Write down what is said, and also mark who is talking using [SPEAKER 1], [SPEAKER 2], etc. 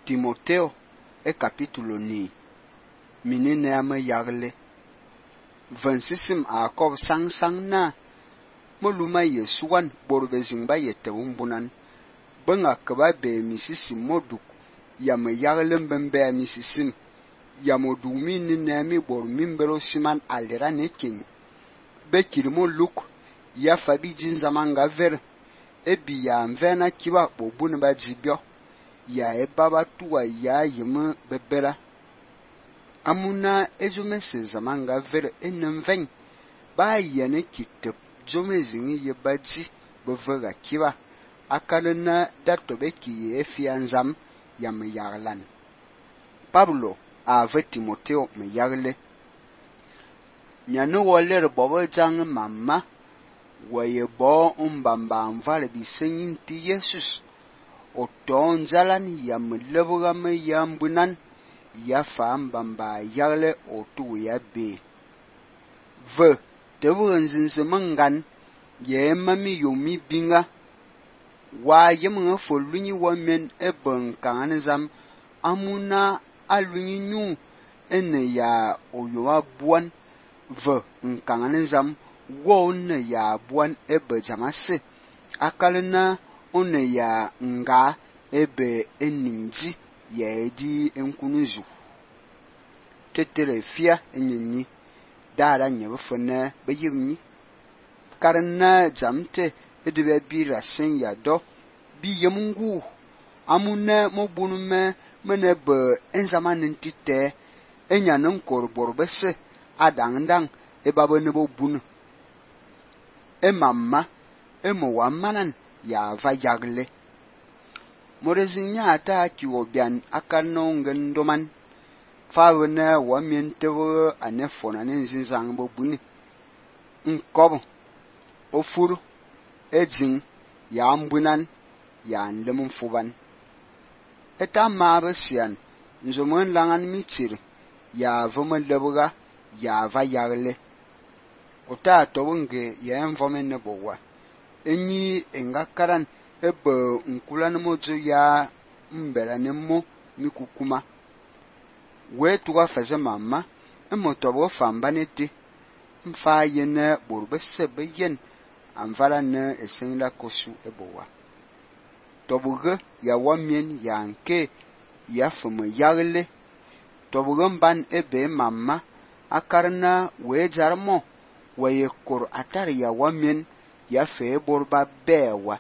[SPEAKER 1] Timoteo capítulo ni minine ame yagle vansisim a kob sang na moluma yesuwan borbe zingba yete umbunan benga keba be misisim moduk yame yagle mbembe misisim yamodumi nine mi bor mimbero siman alera nekin be kirmo luk ya fabi jin zamanga ver ebi ya mvena kiba bobun ba jibyo ya ebaba tuwa ya yime bebera amuna ezumese zamanga ver enenven ba yene kitep zomezini yebaji bevega kiba akalena datobe ki efianzam yame yaglan Pablo ave Timoteo me yagle nyanu woler bobo jang mamma waye bo mbamba mvale bisenyin ti Jesus o ton zalan yam lebuga me yambunan ya fa mbamba yagle o tu ya be ve tebu nzinse mangan ye mami yomi binga wa yemunga folunyi wamen eben kanzam amuna alunyi nyu ene ya oyowa buan ve nkanzam wo ne ya buan ebe jamase akalena one ya nga ebe eninji ya edi enkunuzu tetere fia enyenyi dara nyebefene beyimni karna jamte edebe bira sen ya do bi yemungu amune mobunume menebe enzamanin tite enyanen korborbese adangdang ebabene bobunu emamma emowamanan ya va yagle morezinya ata kiwobian akanongen doman fawne wamientewo anefona nenzizang bobuni nkob ofuru ejin ya ambunan ya nlemun fuban eta mabesian nzomon langan mitir ya vomelebuga ya va yagle ota tobunge ya envomene bowa enyi engakaran ebe nkulan mojo ya mbera nemo mikukuma wetuga faze mama emotobo fambanete mfa yene borbese beyen amvala ne esenla kosu ebowa tobuge ya wamien ya nke ya fumu yagle tobuge mban ebe mama akarna wejarmo weye kor atar ya wamien ya fe borba bewa